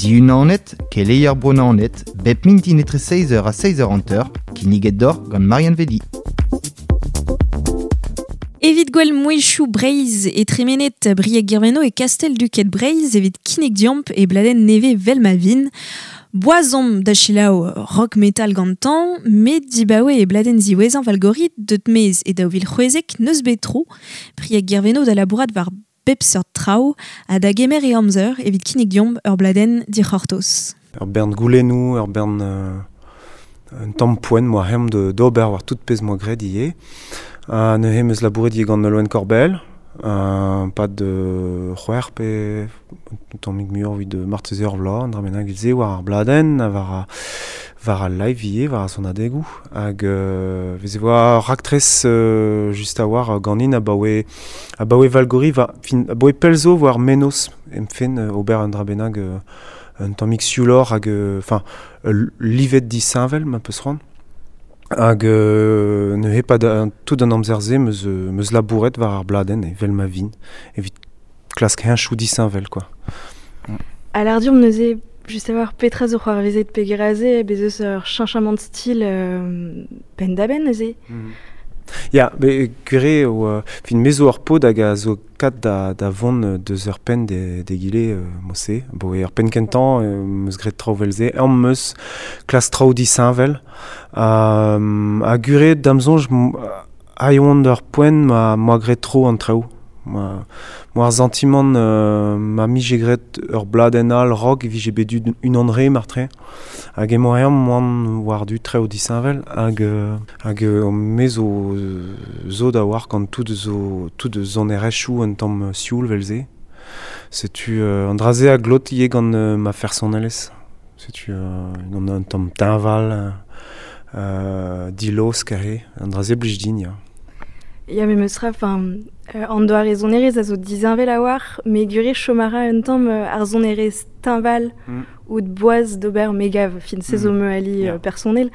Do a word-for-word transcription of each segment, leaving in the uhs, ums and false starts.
Diunanet, keleier bronanet, bep mintin etre seiz eur ha seiz eur hanter, kinniget d'or gant Marianne Vedi. Evit gwell mouezhioù Breizh e tremenet Brieg Guerveno e Kastel-Duket Breizh evit kinnig diamp e bladenn nevez vel ma vin. Boazomp da selaou rock metal gantañ, met dibaoe e bladenn ziwezhañ Valgorit deut mez e daou vil c'hwezek neus bet tro. Brieg Guerveno da labourat war bep seurt traoù ha da gemer e amzer evit kinnig diamp ur bladenn dic'hortoz. Ur bern goulennoù, ur bern euh, un tamm poent moa hem de d'ober war tout pezh moa graet ivez. Uh, neuze em eus labouret ivez gant Nolwenn Korbell, uh, pad de c'hwec'h pe un tammig muioc'h evit marteze ur vloaz, an dra bennak evit se war ar bladenn, war a, war al live ivez, war ar sonadegoù. Hag euh, veze voa raktres euh, just a war ganin abaoe, abaoe Valgori, va, fin, abaoe pell zo war menoz em fen euh, ober un dra bennak euh, un tammig siouloc'h hag, enfin, euh, livet disheñvel ma peus c'hoant. Hag euh, neuze pad an, tout an amzer-se meus, meus labouret war ar bladenn evel ma vin, evit klask heñchoù disheñvel, quoi. A l'ardiom neuze, just a war petra zo c'hoarvezet peger aze, bez eus ur cheñchamant style euh, penn-da-benn neuze. Mm. Ya, be gwir eo, euh, fin me zo ur paotr hag a zo kat da, da vont deus ur penn de, de gile euh, mose. Bo ur penn kentañ, euh, meus graet traoù vel-se, ur meus klas traoù disheñvel. Euh, ha gwir eo da'm soñj, m-, a oan d'ur poent ma, ma graet tro an traoù. Ma, ma ar santimant, euh, ma mije graet ur bladenn all rock e vije bet dud unan re martre. Hag emañ eo moan war du traoù disheñvel hag, euh, hag, euh, me zo, zo da war gant tout zo, tout sonerezhioù un tamm sioul vel-se. Setu, euh, an dra-se a glot ivez gant, euh, ma fersonelezh. Setu, euh, gant un tamm teñval, euh, dilosk aze, an dra-se blij din, ya. Ya, me meus ra, enfin, euh, an doare sonerezh a zo disheñvel a war, me gwir chom a ra un tamm, euh, ar sonerezh teñval Mm. ou de boaz d'ober megav, fin se zo Mm. me ali, Ya. euh, personnel.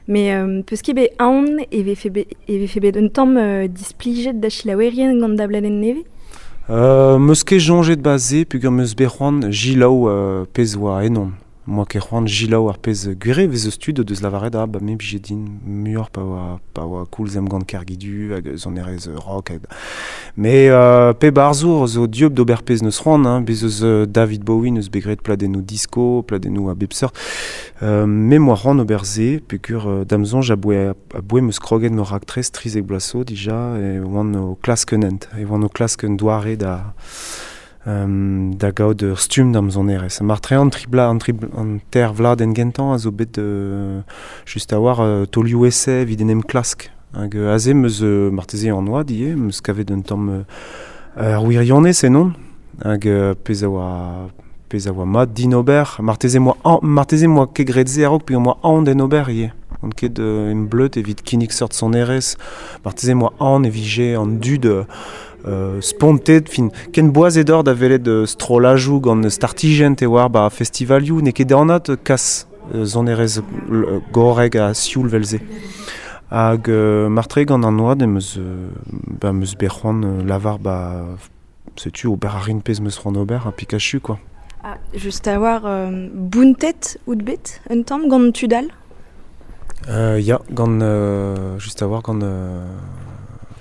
Mais, euh, peus ket bet aon e vefe bet, e vefe bet un tamm, euh, displijet da selaouerien gant da bladenn nevez? Euh, meus ket soñjet ba-se peogwir meus bet c'hoant jilaou, euh, pezh oa ennon. Moa ket c'hoant jilaou ar pezh gwir eo vez eus tud deus lavaret ah, ba me blije din muioc'h pa oa, pa oa koulz em gant Kergidu hag sonerezh rock hag... Mais, euh, pe barzhour zo dieub d'ober pezh neus c'hoant, hein, bez eus, euh, David Bowie neus bet graet pladennoù disco, pladennoù a bep seurt. Euh, me moa c'hoant ober se, peogwir, euh, da'm soñj aboe, aboe meus kroget ma raktres trizek bloaz zo dija, e oan o klask un hent, e oan o klask un doare da... Euh, da gaout ur stumm da'm sonerezh. Martre an tri bla, an tri bl-, an ter vladenn gentañ a zo bet, euh, just a war, euh, taolioù ese evit en em klask. Hag, euh, aze meus, euh, marteze an oad ivez, meus kavet un tamm, euh, ur wirionez ennon. Hag, euh, pezh a oa, pezh a oa mat din ober. Marteze moa an, marteze moa ket graet se a-raok, peogwir moa aon d'en ober ivez. On ket, euh, em bleud evit kinnig seurt sonerezh. Marteze moa aon e vije an dud, euh, euh, spontet, fin, ken boaz edor da welet, euh, strollajoù gant startijenn te war ba festivalioù, n'eo ket anat kas, euh, sonerezh, euh, gorrek ha sioul vel-se. Hag, euh, martre gant an oad em eus, euh, ba, em eus bet c'hoant, euh, lavar ba, setu ober a rin pezh meus c'hoant ober ha Pikachu, quoi. Ah, just a war, euh, bountet out bet un tamm gant tud all? Euh, ya, gant, euh, just a war gant, euh,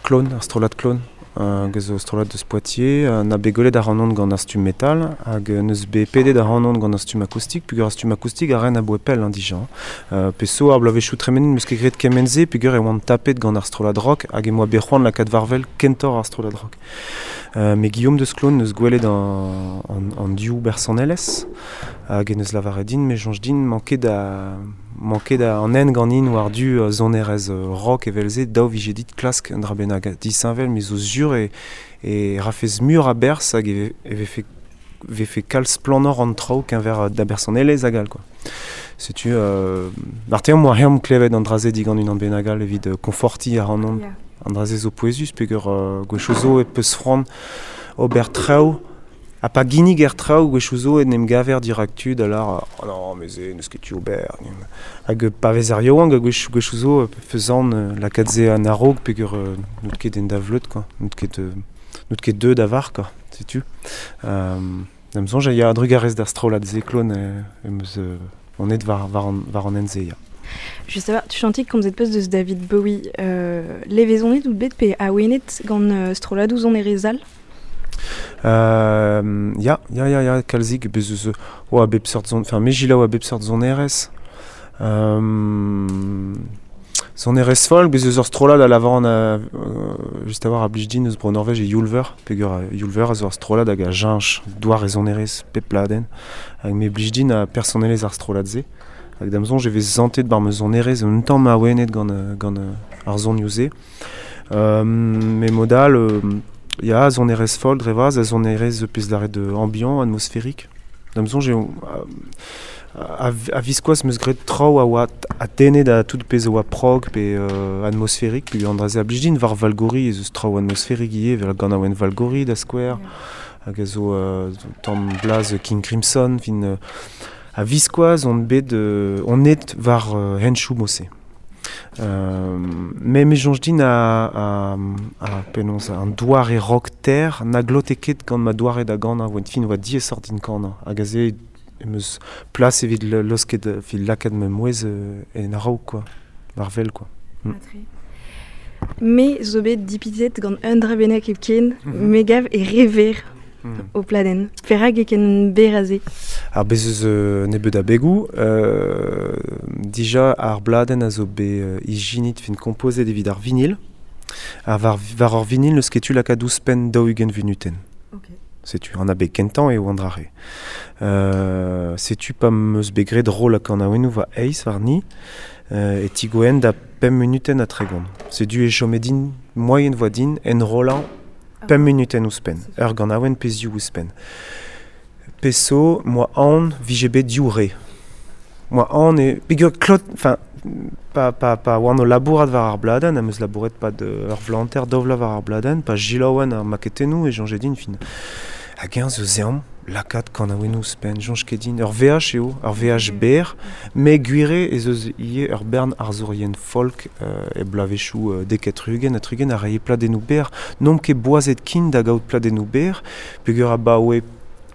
Clone, ar strollad Clone. Euh, hag zo strollad deus Poitiers, euh, na bet gwelet ar anon gant ar stumm metal, hag neus bet pedet ar anon gant ar stumm akoustik, peogwir ar stumm akoustik a ren aboe pell, hein, dija. Euh, peso ar bloavezhioù tremenet meus ket graet kement-se, peogwir e oan tapet gant ar strollad rock, hag e moa bet c'hoant lakaat war-wel kentoc'h ar strollad rock. Euh, me Guillaume deus Clone neus gwelet an, an, an div bersonelezh, hag e neus lavaret din, me soñj din manket da, manket da an hent ganin war du, euh, sonerezh, euh, rock evel-se, daou vije dit klask un dra bennak disheñvel, me zo sur e, e rafez mur a-berzh hag e, e vefe, vefe kalz splanor an traoù keñver da bersonelezh hag all, quoi. Setu, euh, marteze moa reomp klevet an dra-se digant unan bennak all evit, euh, konfortiñ ar anon. Ya. An dra-se zo pouezus, peogwir, euh, gwechoù zo e peus c'hoant ober traoù, ha pa ginnig er traoù gwechoù zo en em gaver dirak tud, alar, oh non, mais se, n'eus ket tu ober. Hag pa vez ar yaouank, hag gwech, gwechoù zo, faisant, euh, lakaat se an a-raok, peogwir, euh, n'out ket en da vleud, quoi. N'out ket, euh, n'out ket deuet da var, quoi, setu. Euh, Da'm soñj ya drugarez d'ar strollad se klon euh, em eus euh, on et war, war, an, war an hent-se, ya. Just a tu chantik komzet peus deus David Bowie euh, levezonet out bet pe awenet gant euh, strolladoù sonerezh all? Euh, ya, ya, ya, ya, kalzik, bez eus oa bep seurt zon, enfin, me jilaou a bep seurt sonerezh. Euh, sonerezh folk, bez eus ur strollad a lavaran a, euh, just a war a blij din eus bro Norvège e Yulver, peogwir a Yulver a zo ur strollad hag a cheñch doar e sonerezh pep pladenn, hag me blij din a personelezh ar strollad-se. Hag da'm soñj e vez santet bar ma sonerezh un tamm awenet gant, gant ar sonioù-se. Euh, me mod all, euh, ya, sonerezh folk dre vras, a sonerezh pezh lâret de ambiant, atmosphérique. Da'm soñj eo a, a viskoazh 'm eus graet traoù a oa a tenne da tout pezh a oa prog pe euh, atmosphérique, pe an dra-se a blij din war Valgori ez eus traoù atmosphérique ivez, vel ganaouenn Valgori da skouer, hag a zo euh, tamm blaz King Crimson, fin euh, a viskoazh on bet euh, on et war euh, henchoù mod-se. Euh, me me soñj din a, a, a penaos an doare rock ter na glote ket gant ma doare da ganañ, oa fin oa diaesoc'h din kanañ, hag aze em eus plas evit le, losket evit lakaat ma mouezh euh, en a-raok, quoi, war wel, quoi. Mm. Me zo bet dipitet gant un dra bennak hepken, Mm -hmm. me gav e rever Mm. o pladenn. Perak e ken berr aze? Ar bez eus euh, nebeud a begoù, euh, dija ar bladenn a zo bet euh, ijinit fin kompozet evit ar vinil. Ar war, war ar vinil n'eus ket tu lakaat ouzhpenn daou-ugent vunutenn. Ok. Setu an abeg kentañ eo an dra-re. Euh, setu pa 'm eus bet graet roll hag kanaouennoù war eizh warni, euh, e tigoen da pemp munutenn ha tregont. Setu e chome din moaien voa din enrollañ pemp munutenn ouzhpenn, ur ganaouenn pe ziv ouzhpenn. Peso, moa aon vije bet div re. Moa aon e... Peogwir klot... Enfin, pa, pa, pa oan o labourat war ar bladenn, am eus labouret pad ur vlanter daou vloaz war ar bladenn, pa jilaouen ar maketennoù e soñje din fin. Hag eñ zo zeomp lakaat kanaouennoù ouzhpenn, soñj ket din. Ur veaj eo, ur veaj berr, met gwir eo ez eus ivez ur bern arzourien folk euh, e bloavezhioù euh, dek ha tri-ugent ha tri-ugent a rae pladennoù berr. N'omp ket boazet kin da gaout pladennoù berr, peogwir abaoe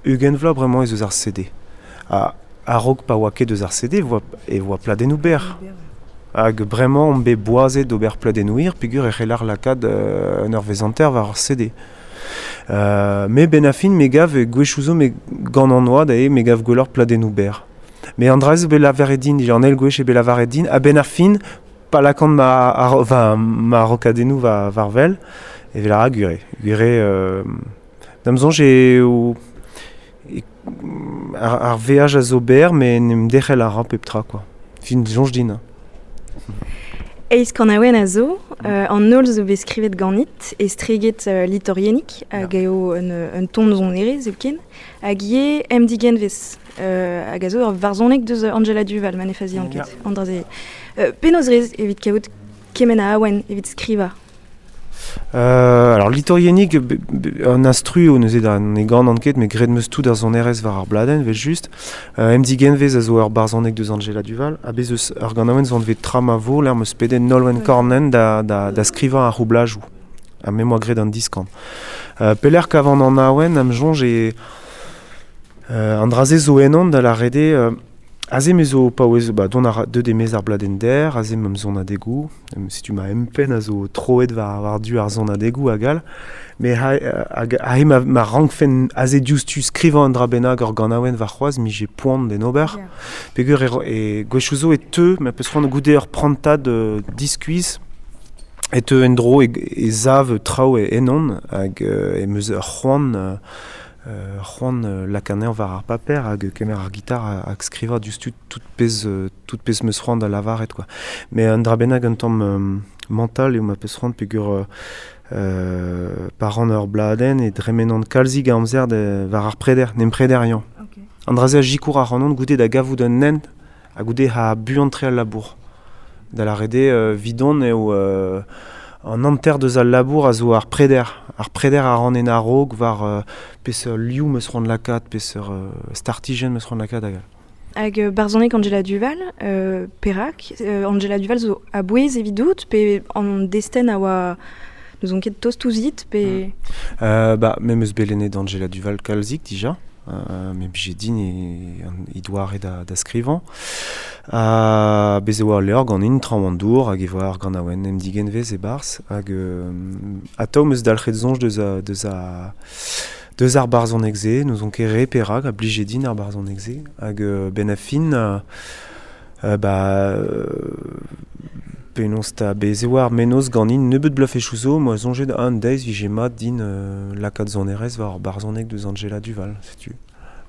ugent vloaz bremañ ez eus ar C D. Ha a-raok pa oa ket eus ar C D, voa, e oa pladennoù berr. Hag bremañ omp bet boazet d'ober pladennoù hir, peogwir e c'heller lakaat euh, un eurvezh hanter war ar C D. Euh, me ben a fin me gav gwechoù zo me gant an oad eo me gav gwelloc'h pladennoù berr. Me an dra zo bet lavaret din, an eil gwech eo bet lavaret din, a ben ar fin, pa lakan ma, ar, va, ma rokadennoù va, war wel, e vel a ra gwir eo. Gwir eo, euh, da'm soñj eo e, ar, ar veaj a zo berr, met n'em derc'hel a ra pep tra, quoi. Fin soñj din. Eizh kanaouenn a zo, euh, an holl zo bet skrivet ganit, estreget euh, litorienik, hag eo un, un ton sonerezh hepken, hag ivez em digenvez, euh, hag a zo ur varzhoneg deus Anjela Duval, ma ne fazian ket, an dra-se. Euh, penaos rez evit kaout kement a awen evit skrivañ? Euh, alors litorienik, be, be, an instru o neuze da ne gant an ket, met graet 'm eus tout ar sonerezh war ar bladenn, vel just. Euh, em digenvez a zo ur barzhoneg deus Anjela Duval, ha bez eus ur ganaouenn zo anvet Tra ma vo, lec'h 'm eus pedet Nolwenn Kornenn da, da, da skrivañ ar roublajoù. Ha me 'moa graet an diskan. Euh, pelec'h kavan an awen, am soñj e euh, an dra-se zo ennon da lâret eo, euh, aze me zo paouez, ba, dont a ra, deut e-maez ar bladenn der, aze m'am sonadegoù, setu ma empenn a zo troet war, war du ar sonadegoù hag all, met ha, hag, aze ma, ma rankfen aze diouzhtu skrivañ an dra bennak ur ganaouenn warc'hoazh, mije poan d'en ober. Yeah. Peogwir e ro-, e gwechoù zo e teu, ma peus c'hoant goude ur prantad, euh, diskuizh, e teu en-dro e, e sav traoù e ennon, hag, euh, em eus ur c'hoant, euh, euh, c'hoant, euh, lakaat anezhañ war ar paper hag kemer ar gitar hag skrivañ diouzhtu tout pezh, euh, tout pezh 'm eus c'hoant da lavaret, quoi. Mais un dra bennak un tamm, euh, mental eo ma peus c'hoant peogwir, euh, euh, pa ran ur bladenn e dremenan kalzik a amzer de, war ar preder, n'em prederiañ. Ok. An dra-se a sikour ar c'hanon goude da gavout un hent ha goude ha buan tre al labour. Da lâret eo, euh, vidon eo, euh, an hanter deus al labour a zo ar preder. Ar preder a ran en a-raok war, euh, peseurt liv 'm eus c'hoant lakaat, peseurt, euh, startijenn 'm eus c'hoant lakaat hag all. Hag, euh, barzhoneg Anjela Duval, euh, perak, euh, Anjela Duval zo a-bouez evidout, pe an destenn a oa n'ouzon ket tost ouzhit, pe... Mm. Euh, bah, me 'm eus bet lennet Anjela Duval kalzik dija, euh, me blije din e, e doare da, da skrivañ. Ha bez e oa levr ganin traoñ an dour hag e voa ar ganaouenn em digenvez e-barzh hag euh, atav 'm eus dalc'het soñj deus a, deus a deus ar barzhoneg-se, n'ouzon ket re perak a blije din ar barzhoneg-se hag euh, ben a fin euh, euh, ba euh, penaos ta bez e oa ar mennozh ganin nebeut bloavezhioù zo, moa soñjet un deiz vije mat din euh, lakaat sonerezh war ar barzhoneg deus Anjela Duval, setu.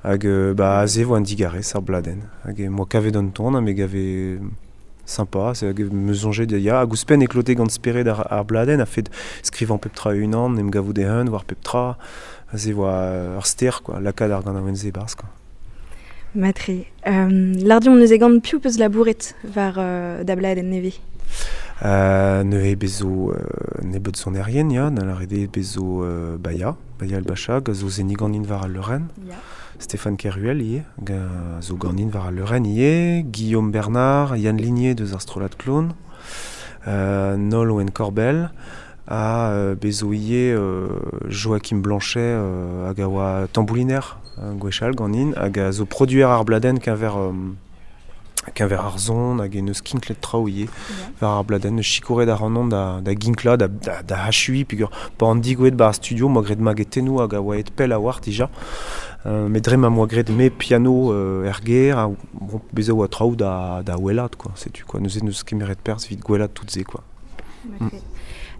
Hag euh, ba aze 'vo an digarez ar bladenn. Hag e moa kavet an ton ha me gave sympa, c'est hag me soñjet da ya, hag ouzhpenn e klote gant spered ar, ar bladenn a fet skrivañ pep tra unan, em gavout e-hun war pep tra, aze 'voa ur ster quoi, lakaat ar ganaouenn-se e-barzh quoi. Matre. Euh, Lardion neuze gant piv peus labouret war euh, da bladenn nevez? Euh, neuze bezo euh, nebeut sonerien, ya, da lâret eo bezo euh, Baya, Baya El Bacha, a zo seniñ ganin war al leurenn. Ya. Stéphane Keruel ivez, hag a zo ganin war al leurenn ivez, Guillaume Bernard, Yann Ligné deus ar strollad Klon, euh, Nolwenn Korbell, ha euh, bezo ivez euh, Joachim Blanchet euh, hag a oa tambouliner euh, gwechall ganin, hag a zo produer ar bladenn keñver euh, keñver ar son hag e neus kinklet traoù ivez war ar bladenn, neus sikouret ar an da, da ginklañ, da, da, da achuiñ, peogwir pa an digouet ba ar studio, moa graet magetennoù hag a oa aet pell a-walc'h dija. Euh, met dre ma moa graet me piano euh, er gêr, ha bon, bezañ oa traoù da, da welat, quoi, setu, quoi. Neuze neus kemeret perzh evit gwelat tout se, quoi. Mm.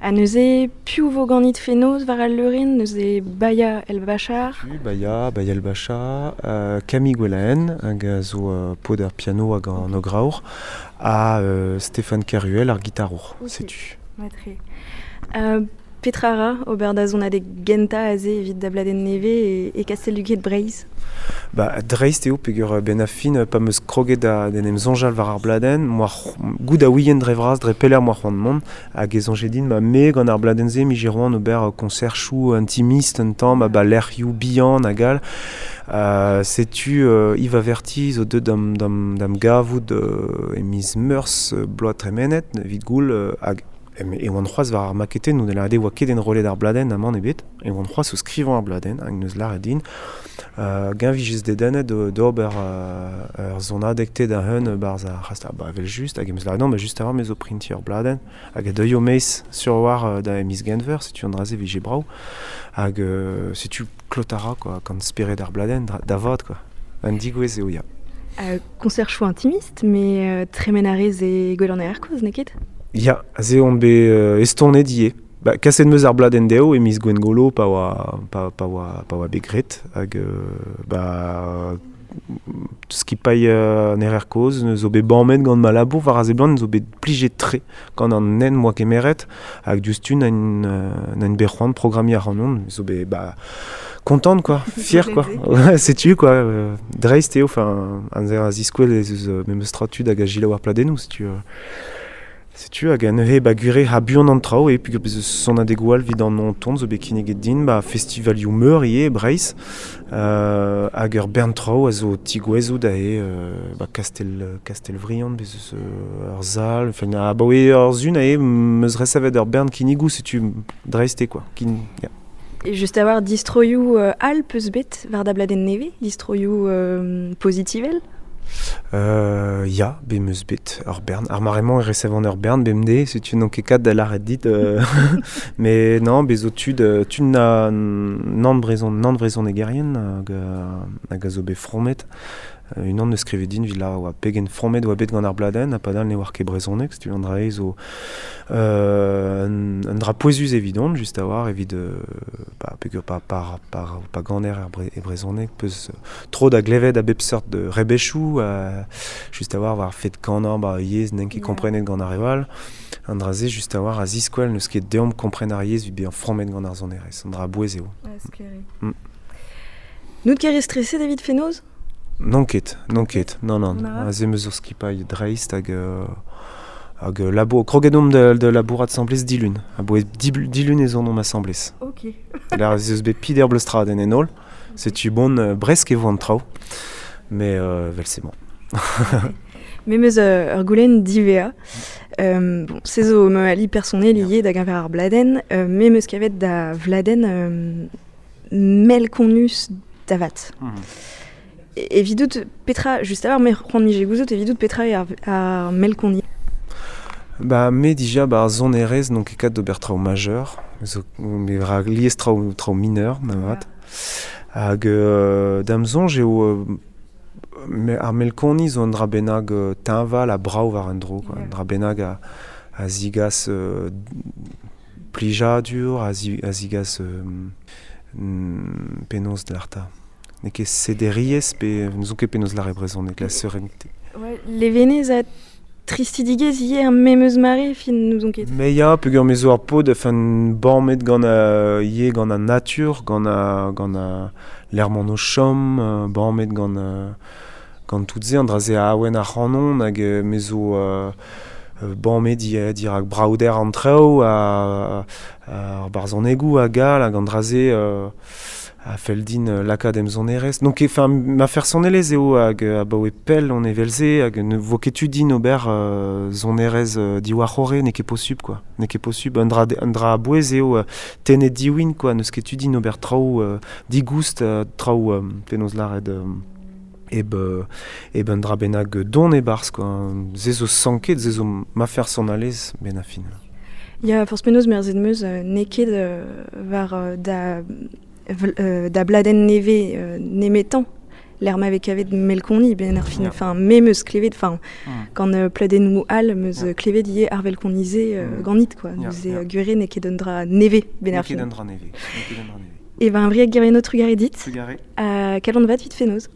Ha neuze piv vo ganit fenoz war al leurenn, neuze Baya El Bachar. Tu, Baya, Baya El Bachar, euh, Camille Gwelaen, hag a zo euh, paotr ar piano hag an ograour, ha euh, Stéphane Keruel ar gitarour, Ok. setu. Matre. Euh, Petra ra, ober da sonadeg gentañ aze evit da bladenn nevez e, e Kastel-Duged Breizh? Ba, dreist eo peogwir ben a fin pa 'm eus kroget da d'en em soñjal war ar bladenn, moa goût a ouien dre vras dre pelec'h moa c'hoant mont, hag e soñje din ma me gant ar bladenn-se mije c'hoant ober konserchoù intimist un tamm, ba lec'hioù bihan hag all. Euh, setu euh, Yves Averti zo deuet d'am, d'am, d'am gavout euh, e miz Meurzh euh, bloaz tremenet, evit goul euh, hag e oan c'hoazh war ar maketenn, da lâret eo oa ket enrollet ar bladenn amañ ebet, e oan c'hoazh o skrivañ ar bladenn, hag neus lâret din, euh, gañ vijez dedennet d'ober euh, ur sonadeg te da hun barzh ar c'hast, ba evel just, hag em eus lâret non, ba just a-walc'h me zo printiñ ur bladenn, hag a deuio maez sur war euh, da miz Genver, setu an dra-se vije brav, hag euh, setu klotara quoi, gant spered ar bladenn, da vat quoi, un digouez eo ya. Euh, konserchoù intimist, mais euh, tremen a rez e gwell an aer kozh, n'eo ket? Ya, aze on bet euh, estonet ivez. Ba, kaset 'm eus ar bladenn dezho e miz Gwengolo pa oa, pa, pa oa, pa oa bet graet hag euh, ba, skipailh euh, an Erer Kozh neus zo bet bammet gant ma labour war a seblant zo bet plijet tre gant an nen moa kemeret hag diouzhtu nain euh, bet c'hoant programmiñ ac'hanon zo bet ba kontant quoi, fier quoi. Ouais, setu quoi, euh, dreist eo, enfin an zer a ziskouel ez eus euh, memes tra tud hag a gilaou ar pladennoù, setu euh, Setu hag a neuze ba gure ha buan an traoù e peogwir bez eus sonadegoù all evit an an ton zo bet kinniget din ba festivalioù meur ivez e Breizh euh, hag ur bern traoù a zo tigouezoù da eo euh, ba Kastel, Kastelvriand bez eus euh, ur sal, enfin a ba oe ur zun ae 'm eus resevet ur bern kinnigoù setu dreist eo quoi. Kin, ya. Et just a-walc'h distroioù euh, all peus bet war da bladenn nevez, distroioù euh, pozitivel? Euh, ya, bet 'm eus bet ur bern. Ar mare-mañ e resevan ur bern bemdez, setu n'on ket kat da lâret dit. Euh, mais non, bez zo tud, tud na nann brezhon, nann brezhonegerien hag, hag a zo bet fromet. Unan neus skrivet din evit lâret oa pegen fromet oa bet gant ar bladenn, ha padal ne oar ket brezhoneg, setu an dra eo zo euh, un, un dra pouezus evidon, just a-walc'h, evit euh, ba, peogwir pa, pa, pa, pa ganer er bre, e brezhoneg, peus tro da glevet a bep seurt de rebechoù, euh, just a-walc'h war fet kanañ ba yezh n'en ket komprenet gant ar re all. An dra se just a-walc'h a ziskouel n'eus ket deomp kompren ar yezh evit bezañ fromet gant ar sonerezh, an dra bouez eo. Ouais, sklaer. Mm. N'out ket re streset evit fenoz? N'on ket, n'on ket, non, non. Na. Aze 'm eus ur skipailh dreist hag, euh, hag labo, kroget omp da, da labourat asambles dilun. Aboe dilun ez on omp asambles. Ok. Là, ez eus bet pider bleustradenn en holl. Setu bon, euh, bresk e vo an traoù. Mais euh, vel c'est bon. Me 'm eus euh, ur goulenn divea. Euh, bon, se zo ma ali personnel ivez da geñver ar bladenn. Euh, me 'm eus kavet da vladenn euh, mell konus davat. Mm. Evidout petra, just a me c'hoant mije gouzout, evidout petra eo ar, ar melkoni. Ba, me dija ba ar sonerezh n'on ket kat d'ober traoù majeur, zo me ra lies traoù traoù mineur, navat. Hag euh, da'm soñj eo euh, me, ar melkoni zo un dra bennak euh, teñval ha brav war un dro, quoi. Un dra bennak a, a zigas euh, plijadur, a, zi, a zigas euh, mm, penaos de l'arta. N'eo ket sederiez pe n'eus ket penaos lâret brezhoneg, la sérénité. Ouais, levenez a tristidigez ivez ar memeus mare fin n'ouzon ket. Me ya, peogwir me zo ar paotr enfin bamet gant euh, ivez gant an natur, gant a, gant a lec'h m'on o chom, euh, bamet gant euh, gant tout se, an dra-se a awen ar c'hanon hag euh, me zo euh, euh, bamet di, dirak braouder an traoù a, a, ar barzhonegoù hag all hag an dra-se euh, a fell din euh, lakaat em sonerezh. Donc enfin ma fersonelezh eo hag abaoe pell on evel-se hag ne vo ket tu din ober euh, sonerezh euh, diwar c'horre, n'eo ket posubl quoi. N'eo ket posubl, un dra, un dra a-bouez eo euh, tennet diwin quoi, n'eus ket tu din ober traoù euh, digoust, euh, traoù euh, penaos lâret euh, eb, euh, eb un dra bennak don e-barzh quoi. Se zo sanket, se zo ma fersonelezh ben a fin. Ya, forzh penaos merzet 'm eus euh, n'eo ket euh, war euh, da, vl, euh, da bladenn nevez euh, nemetañ lec'h ma vez kavet melkoni ben ar fin, enfin me 'm eus klevet, enfin Mm. gant euh, pladennoù all 'm eus Ya. klevet ivez ar velkoni-se euh, Mm. ganit quoi, Ya, neuze ya. euh, gwir eo n'eo ket un dra nevez ben N'eo ar ket fin. un dra nevez, n'eo ket un dra nevez. E ben Brieg Guerveno trugarez dit, Trugarez. ha kalon vat evit fenoz.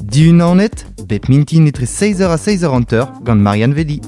Dihun an net, bep mintin etre seizh eur ha seizh eur hanter gant Marianne Vedi.